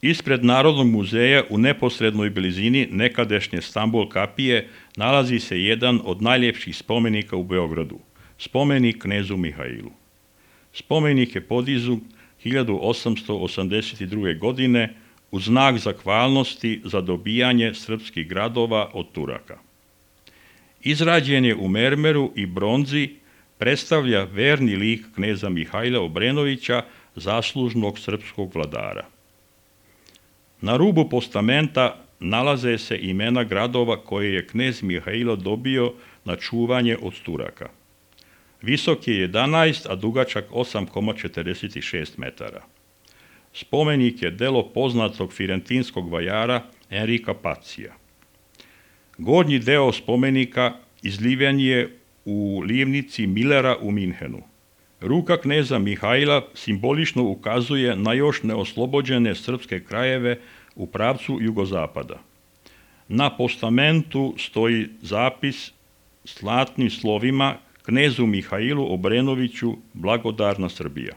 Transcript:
Ispred Narodnog muzeja u neposrednoj blizini nekadašnje Stambol kapije nalazi se jedan od najljepših spomenika u Beogradu, spomenik knezu Mihailu. Spomenik je podiznut 1882. godine u znak zahvalnosti za dobijanje srpskih gradova od Turaka. Izrađen je u mermeru i bronzi, predstavlja verni lik kneza Mihaila Obrenovića, zaslužnog srpskog vladara. Na rubu postamenta nalaze se imena gradova koje je knez Mihailo dobio na čuvanje od Turaka. Visok je 11, a dugačak 8,46 metara. Spomenik je delo poznatog firentinskog vajara Enrika Pacija. Gornji deo spomenika izliven je u livnici Millera u Minhenu. Ruka kneza Mihaila simbolično ukazuje na još neoslobođene srpske krajeve u pravcu jugozapada. Na postamentu stoji zapis zlatnim slovima knezu Mihailu Obrenoviću, blagodarna Srbija.